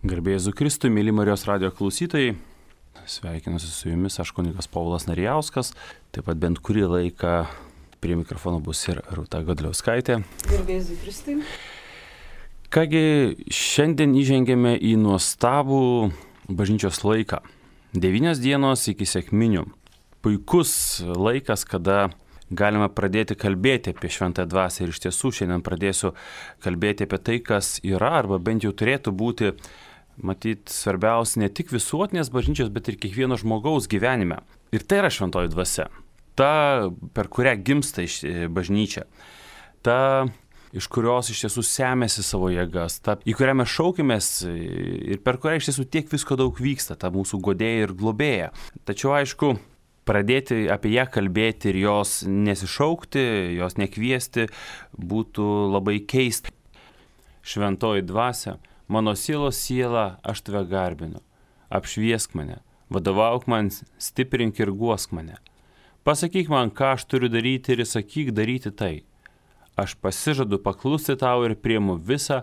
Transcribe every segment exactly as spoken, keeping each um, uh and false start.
Garbė Jėzui Kristui, mėly Marijos radijo klausytojai, sveikinuosi su jumis, aš kunigas Povilas Narijauskas, taip pat bent kurį laiką prie mikrofono bus ir Rūta Godliauskaitė. Garbė Jėzui Kristui. Kągi, šiandien įžengėme į nuostabų bažnyčios laiką. Devynios dienos iki sekminių. Puikus laikas, kada galime pradėti kalbėti apie šventąją dvasią. Ir iš tiesų šiandien pradėsiu kalbėti apie tai, kas yra, arba bent jau turėtų būti, matyt, svarbiausia ne tik visuotinės bažnyčios, bet ir kiekvieno žmogaus gyvenime. Ir tai yra šventoji dvasia. Ta, per kurią gimsta bažnyčia. Ta, iš kurios iš tiesų semėsi savo jėgas. Ta, į kurią mes šaukimės ir per kurią iš tiesų tiek visko daug vyksta. Ta mūsų godėja ir globėja. Tačiau aišku, pradėti apie ją kalbėti ir jos nesišaukti, jos nekviesti būtų labai keista. Šventoji dvasia, mano sielos siela, aš tave garbinu. Apšviesk mane, vadovauk man, stiprink ir guosk mane. Pasakyk man, ką aš turiu daryti ir įsakyk daryti tai. Aš pasižadu paklusti tau ir priimu visą,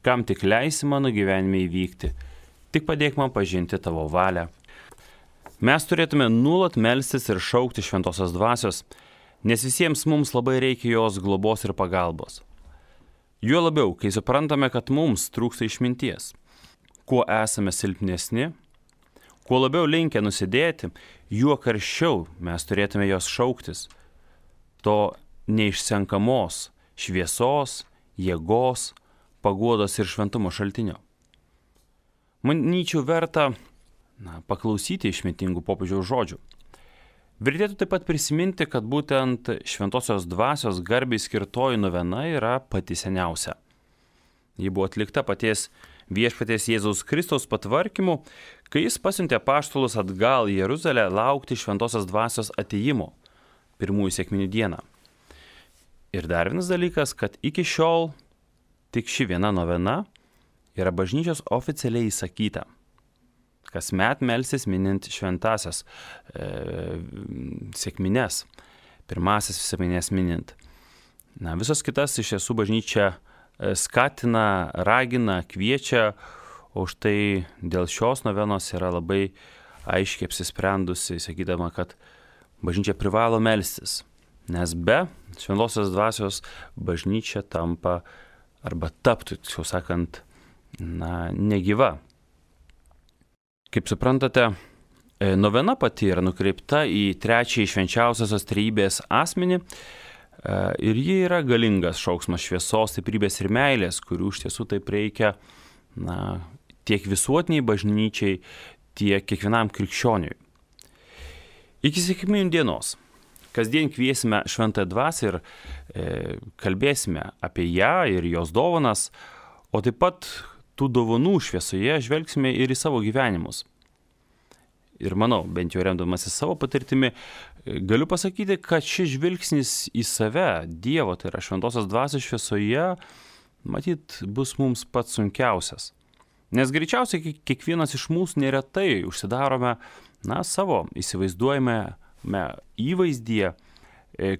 kam tik leisi mano gyvenime įvykti. Tik padėk man pažinti tavo valią. Mes turėtume nuolat melstis ir šaukti šventosios dvasios, nes visiems mums labai reikia jos globos ir pagalbos. Juo labiau, kai suprantame, kad mums trūksta išminties. Kuo esame silpnesni, kuo labiau linkę nusidėti, juo karščiau mes turėtume jos šauktis. To neišsenkamos šviesos, jėgos, paguodos ir šventumo šaltinio. Manyčiau verta na, paklausyti išmintingų popiežiaus žodžių. Vertėtų taip pat prisiminti, kad būtent šventosios dvasios garbei skirtoji novena yra pati seniausia. Ji buvo atlikta paties viešpaties Jėzaus Kristaus patvarkymu, kai jis pasiuntė apaštalus atgal į Jeruzalę laukti šventosios dvasios atėjimo pirmųjų sekminių dieną. Ir dar vienas dalykas, kad iki šiol tik ši viena novena yra bažnyčios oficialiai įsakyta. Kasmet melsis minint šventasias e, sekmines, pirmasis sekmines minint. Na, visos kitas iš tiesų bažnyčia skatina, ragina, kviečia, o štai dėl šios novenos yra labai aiškiai apsisprendusi, sakydama, kad bažnyčia privalo melstis, nes be šventosios dvasios bažnyčia tampa arba taptų, tiksliau sakant, na, negyva. Kaip suprantate, novena pati yra nukreipta į trečiąjį švenčiausiosios trejybės asmenį ir ji yra galingas šauksmas šviesos, stiprybės ir meilės, kurių iš tiesų taip reikia na, tiek visuotiniai bažnyčiai, tiek kiekvienam krikščioniui. Iki sekminių dienos kasdien kviesime šventąją dvasią ir e, kalbėsime apie ją ir jos dovanas, o taip pat tų dovanų šviesoje žvelgsime ir į savo gyvenimus. Ir manau, bent jau remdamasi savo patirtimi, galiu pasakyti, kad šis žvilgsnis į save, Dievo, tai yra šventosios dvasios šviesoje, matyt, bus mums pats sunkiausias. Nes greičiausiai kiekvienas iš mūsų neretai užsidarome, na, savo įsivaizduojame įvaizdyje,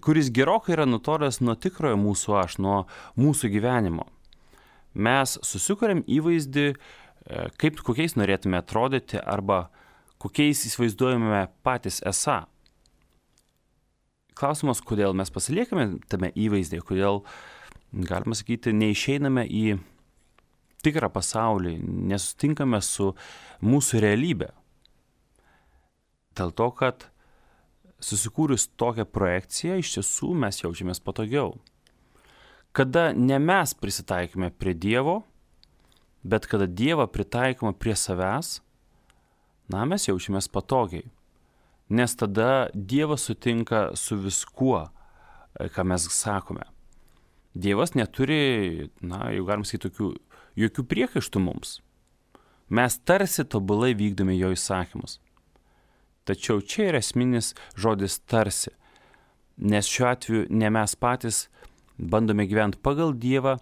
kuris gerokai yra nutolęs nuo tikrojo mūsų aš, nuo mūsų gyvenimo. Mes susikuriam įvaizdį, kaip kokiais norėtume atrodyti arba kokiais įsivaizduojame patys esą. Klausimas, kodėl mes pasiliekame tame įvaizdėje, kodėl, galima sakyti, neišeiname į tikrą pasaulį, nesutinkame su mūsų realybė. Dėl to, kad susikūrus tokią projekciją, iš tiesų mes jaučiamės patogiau. Kada ne mes prisitaikome prie Dievo, bet kada Dievą pritaikome prie savęs, na, mes jaučiamės patogiai. Nes tada Dievas sutinka su viskuo, ką mes sakome. Dievas neturi, na, jau galim sakyti, tokių, jokių priekaištų mums. Mes tarsi tobulai vykdome jo įsakymus. Tačiau čia yra esminis žodis tarsi, nes šiuo atveju ne mes patys bandome gyventi pagal Dievą,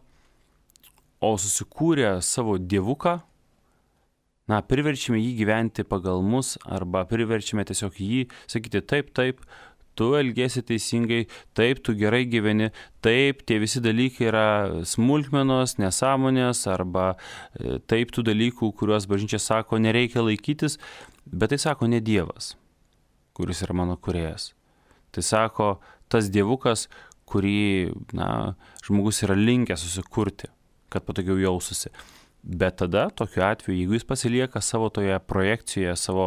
o susikūrę savo dievuką, na, priverčiame jį gyventi pagal mus arba priverčiame tiesiog jį sakyti taip, taip, tu elgiesi teisingai, taip, tu gerai gyveni, taip, tie visi dalykai yra smulkmenos, nesąmonės arba taip tų dalykų, kuriuos bažnyčia sako, nereikia laikytis, bet tai sako ne Dievas, kuris yra mano kūrėjas. Tai sako tas dievukas, kurį na, žmogus yra linkęs susikurti, kad patogiau jaustųsi. Bet tada, tokiu atveju, jeigu jis pasilieka savo toje projekcijoje, savo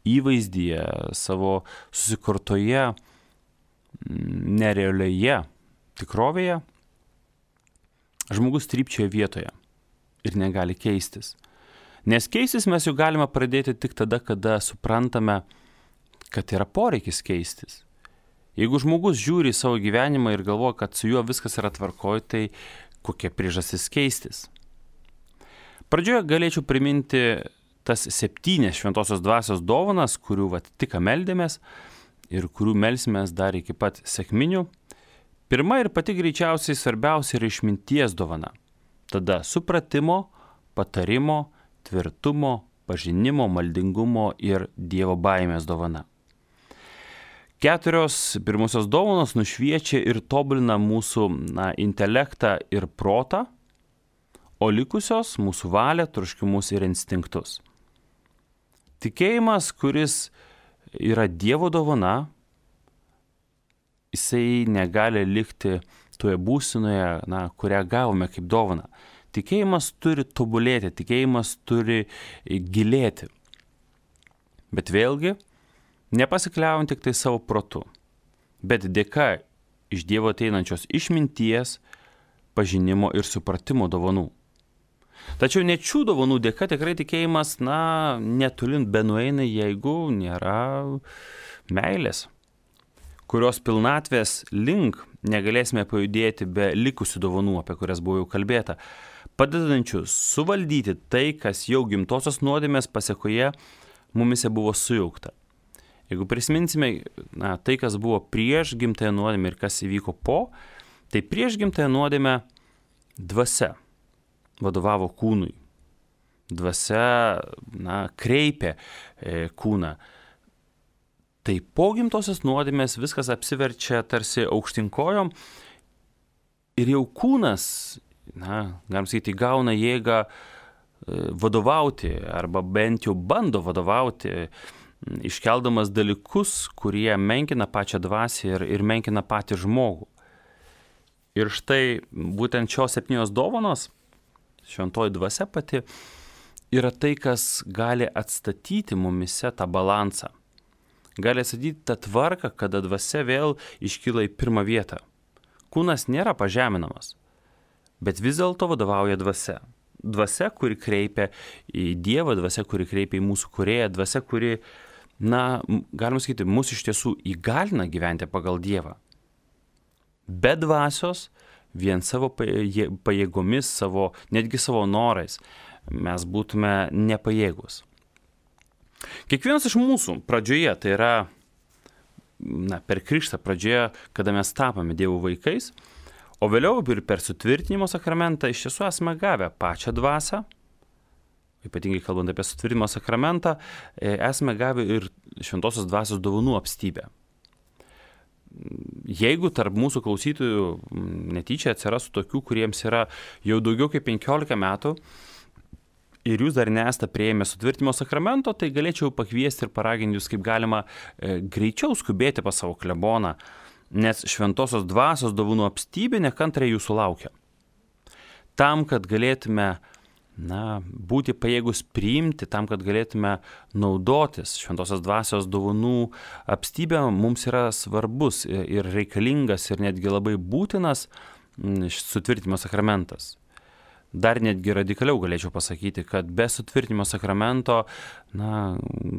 įvaizdyje, savo susikurtoje nerealioje tikrovėje, žmogus trypčioja vietoje ir negali keistis. Nes keistis mes jau galime pradėti tik tada, kada suprantame, kad yra poreikis keistis. Jeigu žmogus žiūri į savo gyvenimą ir galvoja, kad su juo viskas yra tvarkoj, tai kokia priežastis keistis? Pradžioje galėčiau priminti tas septynias šventosios dvasios dovanas, kurių vat, tik meldėmės ir kurių melsimės dar iki pat sekminių. Pirma ir pati greičiausiai svarbiausia yra išminties dovana. Tada supratimo, patarimo, tvirtumo, pažinimo, maldingumo ir Dievo baimės dovana. Keturios pirmosios dovanos nušviečia ir tobulina mūsų na, intelektą ir protą, o likusios mūsų valią, troškimus ir instinktus. Tikėjimas, kuris yra Dievo dovana, jisai negali likti toje būsinoje, na, kurią gavome kaip dovana. Tikėjimas turi tobulėti, tikėjimas turi gilėti. Bet vėlgi, nepasikliaujant tik tai savo protu, bet dėka iš Dievo ateinančios išminties, pažinimo ir supratimo dovanų. Tačiau net šių dovanų dėka tikrai tikėjimas, na, netolin benueina, jeigu nėra meilės, kurios pilnatvės link negalėsime pajudėti be likusių dovanų, apie kurias buvo jau kalbėta, padedančių suvaldyti tai, kas jau gimtosios nuodėmės pasiekoje mumise buvo sujaukta. Jeigu prisiminsime na, tai, kas buvo prieš gimtąją nuodėmę ir kas įvyko po, tai prieš gimtąją nuodėmę dvasia vadovavo kūnui. Dvasia na, kreipė e, kūną. Tai po gimtosios nuodėmės viskas apsiverčia tarsi aukštinkojom ir jau kūnas, na, galim sakyti, gauna jėgą e, vadovauti arba bent jau bando vadovauti, iškeldamas dalykus, kurie menkina pačią dvasią ir, ir menkina patį žmogų. Ir štai būtent šios septynios dovanos, šventoji dvasia pati, yra tai, kas gali atstatyti mumise tą balansą. Gali atstatyti tą tvarką, kada dvasia vėl iškyla į pirmą vietą. Kūnas nėra pažeminamas, bet vis dėlto vadovauja dvasia. Dvasia, kuri kreipia į Dievą, dvasia, kuri kreipia į mūsų kūrėją, dvasia, kuri, na, galima sakyti, mus iš tiesų įgalina gyventi pagal Dievą. Be dvasios, vien savo pajėgomis, savo, netgi savo norais, mes būtume nepajėgus. Kiekvienas iš mūsų pradžioje, tai yra na, per krikštą pradžioje, kada mes tapame Dievo vaikais, o vėliau ir per sutvirtinimo sakramentą iš tiesų esame gavę pačią dvasią, ypatingai kalbant apie sutvirtinimo sakramentą, esame gavę ir šventosios dvasios dovanų apstybę. Jeigu tarp mūsų klausytojų netyčia atsirastų tokių, kuriems yra jau daugiau kaip penkiolika metų ir jūs dar nesate prieėmę sutvirtinimo sakramento, tai galėčiau pakviesti ir paraginti jūs kaip galima e, greičiau skubėti pas savo kleboną, nes šventosios dvasios dovanų apstybė nekantrai jūsų laukia. Tam, kad galėtume na, būti pajėgus priimti, tam, kad galėtume naudotis šventosios dvasios dovanų apstybė, mums yra svarbus ir reikalingas ir netgi labai būtinas sutvirtinimo sakramentas. Dar netgi radikaliau galėčiau pasakyti, kad be sutvirtinimo sakramento na,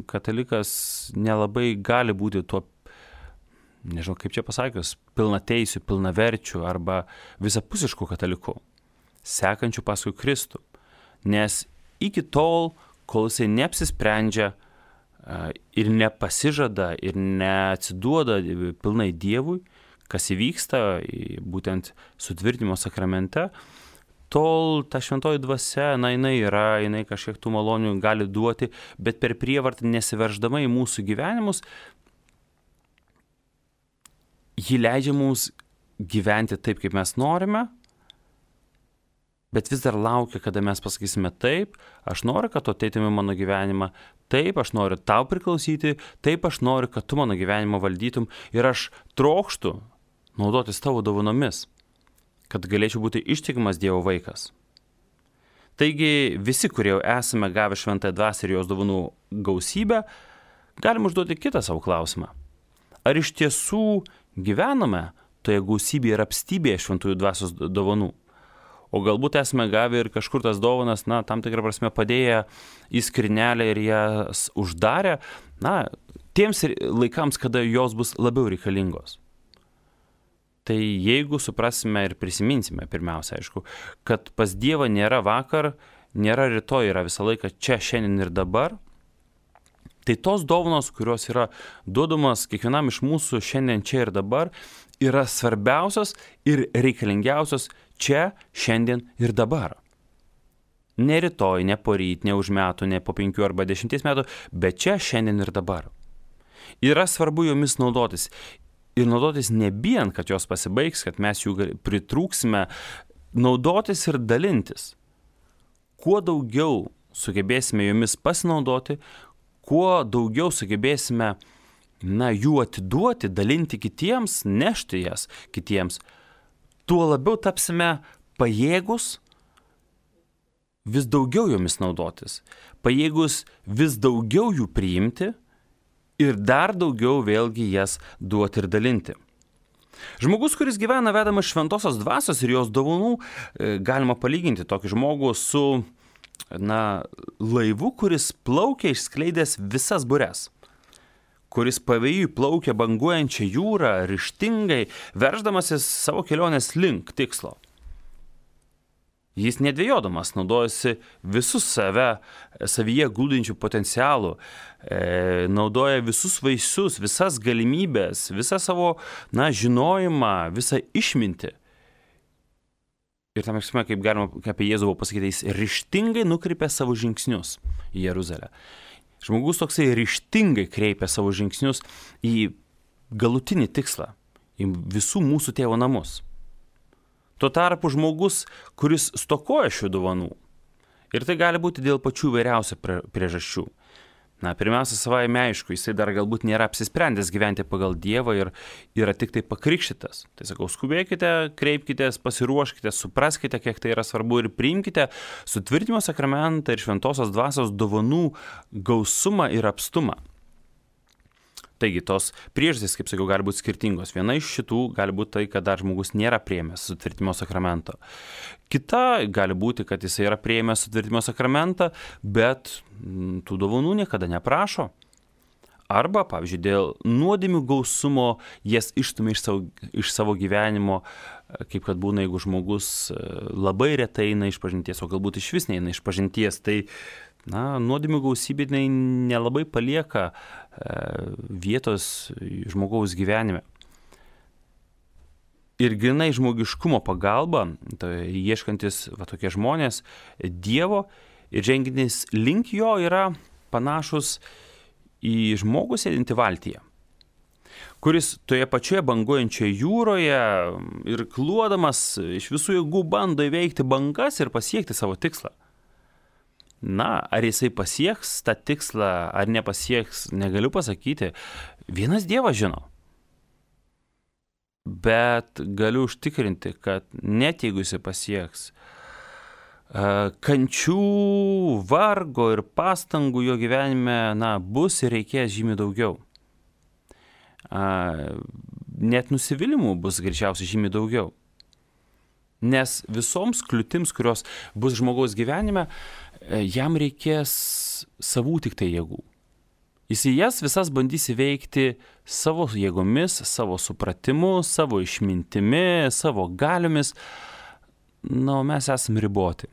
katalikas nelabai gali būti tuo, nežinau kaip čia pasakius, pilnateisiu, pilnaverčiu arba visapusišku kataliku, sekančiu paskui Kristų. Nes iki tol, kol jisai neapsisprendžia ir nepasižada ir neatsiduoda pilnai Dievui, kas įvyksta būtent sutvirtinimo sakramente, tol ta šventoji dvasia, na, jinai yra, jinai kažkiek tų malonių gali duoti, bet per prievartą nesiverždama į mūsų gyvenimus, ji leidžia mums gyventi taip, kaip mes norime, bet vis dar laukia, kada mes pasakysime taip, aš noriu, kad tu ateitum į mano gyvenimą, taip, aš noriu tau priklausyti, taip, aš noriu, kad tu mano gyvenimą valdytum ir aš trokštu naudotis tavo dovanomis, kad galėčiau būti ištikimas Dievo vaikas. Taigi visi, kurie jau esame gavę šventąją dvasią ir jos dovanų gausybę, galime užduoti kitą savo klausimą. Ar iš tiesų gyvename toje gausybėje ir apstybėje šventųjų dvasios dovanų? O galbūt esame gavę ir kažkur tas dovanas, na, tam tikrą prasme padėję į skrinelę ir jas uždarę, na, tiems laikams, kada jos bus labiau reikalingos. Tai jeigu suprasime ir prisiminsime, pirmiausia, aišku, kad pas Dievą nėra vakar, nėra rytoj, yra visą laiką čia, šiandien ir dabar, tai tos dovanos, kurios yra duodamas kiekvienam iš mūsų šiandien, čia ir dabar, yra svarbiausios ir reikalingiausios čia, šiandien ir dabar. Ne rytoj, ne poryt, ne už metų, ne po penkių arba dešimties metų, bet čia, šiandien ir dabar. Yra svarbu jomis naudotis. Ir naudotis nebijant, kad jos pasibaigs, kad mes jų pritrūksime, naudotis ir dalintis. Kuo daugiau sugebėsime jomis pasinaudoti, kuo daugiau sugebėsime, na, jų atiduoti, dalinti kitiems, nešti jas kitiems, tuo labiau tapsime pajėgus vis daugiau jomis naudotis, pajėgus vis daugiau jų priimti, ir dar daugiau vėlgi jas duoti ir dalinti. Žmogus, kuris gyvena vedamas šventosios dvasios ir jos dovanų, galima palyginti tokį žmogų su, na, laivu, kuris plaukia išskleidęs visas bures, kuris pavėjui plaukia banguojančią jūrą, ryžtingai, verždamasis savo kelionės link tikslo. Jis nedvėjodamas naudojasi visus save, savyje glūdinčių potencialų, e, naudoja visus vaisius, visas galimybės, visą savo, na, žinojimą, visą išmintį. Ir tam eksime, kaip galima apie Jėzų pasakyti, jis ryžtingai nukreipia savo žingsnius į Jeruzalę. Žmogus toksai ryžtingai kreipia savo žingsnius į galutinį tikslą, į visų mūsų tėvo namus. Tuo tarpu žmogus, kuris stokoja šių dovanų. Ir tai gali būti dėl pačių vairiausių priežasčių. Na, pirmiausia, savaime aišku, jisai dar galbūt nėra apsisprendęs gyventi pagal Dievą ir yra tik tai pakrikštytas. Tai sakau, skubėkite, kreipkitės, pasiruoškite, supraskite, kiek tai yra svarbu ir priimkite sutvirtinimo sakramentą ir šventosios dvasios dovanų gausumą ir apstumą. Taigi, tos priežastys, kaip sakiau, gali būti skirtingos. Viena iš šitų gali būti tai, kad dar žmogus nėra priėmęs sutvirtinimo sakramento. Kita gali būti, kad jis yra priėmęs sutvirtinimo sakramentą, bet tų dovanų niekada neprašo. Arba, pavyzdžiui, dėl nuodėmių gausumo jas išstumia iš savo, iš savo gyvenimo, kaip kad būna, jeigu žmogus labai retai eina iš pažinties, o galbūt iš vis neina iš pažinties. Tai na, nuodėmių gausybė nelabai palieka e, vietos žmogaus gyvenime. Ir grinai žmogiškumo pagalba, tai ieškantis va, tokie žmonės Dievo ir žengiantis link jo yra panašus į žmogų sėdintį valtyje, kuris toje pačioje banguojančioje jūroje ir kluodamas iš visų jėgų bando įveikti bangas ir pasiekti savo tikslą. Na, ar jisai pasieks tą tikslą, ar nepasieks, negaliu pasakyti. Vienas Dievas žino. Bet galiu užtikrinti, kad net jeigu jisai pasieks, kančių, vargo ir pastangų jo gyvenime, na, bus ir reikės žymiai daugiau. Net nusivylimų bus greičiausiai žymiai daugiau. Nes visoms kliūtims, kurios bus žmogaus gyvenime, jam reikės savų tik tai jėgų. Jis į jas visas bandys įveikti savo jėgomis, savo supratimu, savo išmintimi, savo galiomis. Na, o mes esame riboti.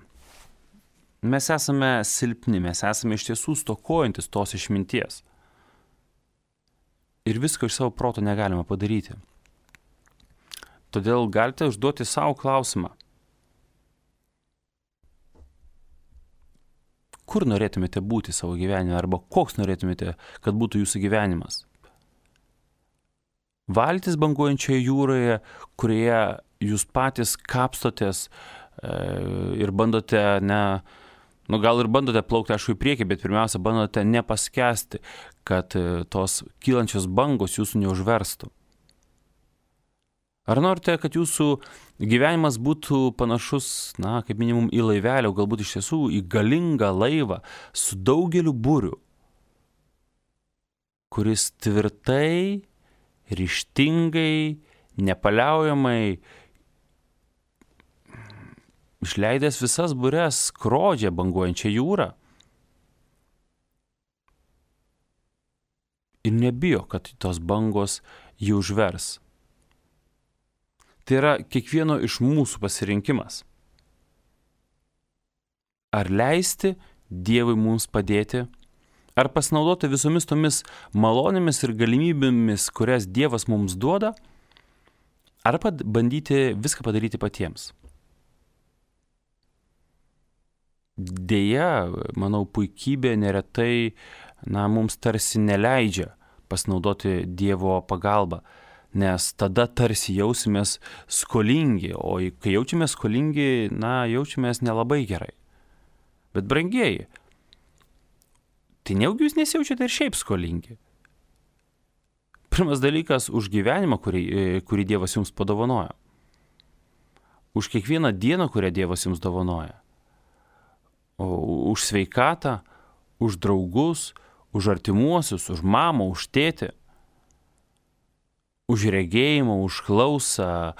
Mes esame silpni, mes esame iš tiesų stokojantis tos išminties. Ir visko iš savo proto negalime padaryti. Todėl galite užduoti savo klausimą. Kur norėtumėte būti savo gyvenime, arba koks norėtumėte, kad būtų jūsų gyvenimas? valtis banguojančioje jūroje, kurioje jūs patys kapstotės e, ir bandote, ne, nu gal ir bandote plaukti, aišku, į priekį, bet pirmiausia, bandote nepaskesti, kad e, tos kylančios bangos jūsų neužverstų. Ar norite, kad jūsų gyvenimas būtų panašus, na, kaip minimum į laivelį, o galbūt iš tiesų į galingą laivą su daugeliu burių, kuris tvirtai, ryžtingai, nepaliaujamai, išleidęs visas bures, skrodžia banguojančią jūrą ir nebijo, kad tos bangos jį užvers. Tai yra kiekvieno iš mūsų pasirinkimas. Ar leisti Dievui mums padėti, ar pasinaudoti visomis tomis malonėmis ir galimybėmis, kurias Dievas mums duoda, ar bandyti viską padaryti patiems. Deja, manau, puikybė neretai, na, mums tarsi neleidžia pasinaudoti Dievo pagalbą, nes tada tarsi jausimės skolingi, o kai jaučiamės skolingi, na, jaučiamės nelabai gerai. Bet brangieji, tai nejaugi jūs nesijaučiate ir šiaip skolingi. Pirmas dalykas už gyvenimą, kurį, kurį Dievas jums padovanojo. Už kiekvieną dieną, kurią Dievas jums dovanoja. O už sveikatą, už draugus, už artimuosius, už mamą, už tėtį. Už regėjimą, už klausą,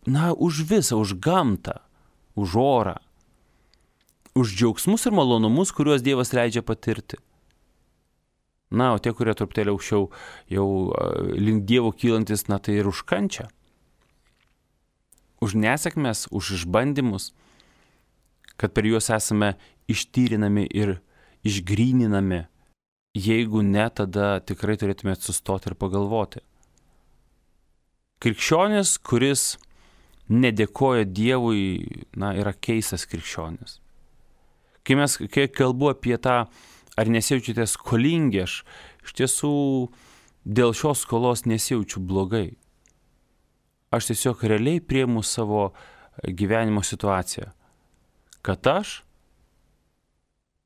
na, už visą, už gamtą, už orą, už džiaugsmus ir malonumus, kuriuos Dievas leidžia patirti. Na, o tie, kurie truputėlį aukščiau jau link Dievo kylantis, na, tai ir už kančią. Už nesėkmes, už išbandymus, kad per juos esame ištyrinami ir išgryninami. Jeigu ne, tada tikrai turėtumėte sustoti ir pagalvoti. Krikščionis, kuris nedėkoja Dievui, na, yra keistas krikščionis. Kai mes, kai kalbu apie tą, ar nesijaučiate skolingi, aš iš tiesų dėl šios skolos nesijaučiu blogai. Aš tiesiog realiai priimu savo gyvenimo situaciją, kad aš,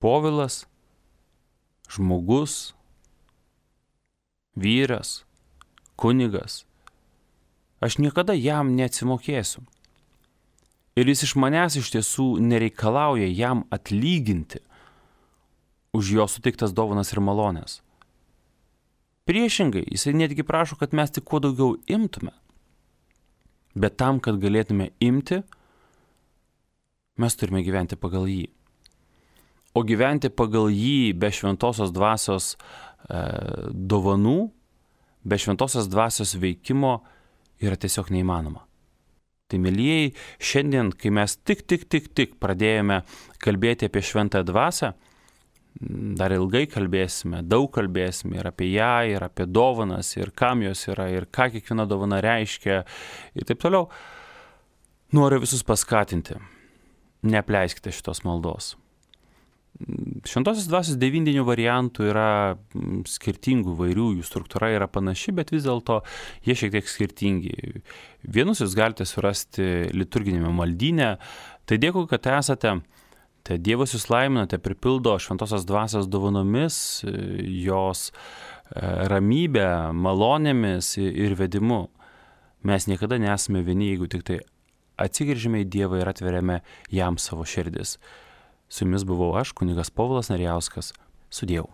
Povilas, žmogus, vyras, kunigas, aš niekada jam neatsimokėsiu. Ir jis iš manęs iš tiesų nereikalauja jam atlyginti už jo suteiktas dovanas ir malonės. Priešingai, jisai netgi prašo, kad mes tik kuo daugiau imtume. Bet tam, kad galėtume imti, mes turime gyventi pagal jį. O gyventi pagal jį be šventosios dvasios e, dovanų, be šventosios dvasios veikimo yra tiesiog neįmanoma. Tai, mielieji, šiandien, kai mes tik, tik, tik, tik pradėjome kalbėti apie šventąją dvasią, dar ilgai kalbėsime, daug kalbėsime ir apie ją, ir apie dovanas, ir kam jos yra, ir ką kiekviena dovana reiškia, ir taip toliau. Noriu visus paskatinti. Neapleiskite šitos maldos. Šventosios dvasios devyndinių variantų yra skirtingų vairių, jų struktūra yra panaši, bet vis dėlto jie šiek tiek skirtingi. Vienus jūs galite surasti liturginėme maldyne. Tai dėkui, kad esate. Tai Dievas jūs laimina, tai pripildo šventosios dvasios dovanomis, jos ramybę, malonėmis ir vedimu. Mes niekada nesame vieni, jeigu tik tai atsigręžime į Dievą ir atveriame jam savo širdis. Su jumis buvau aš, kunigas Povilas Narijauskas. Sudiev.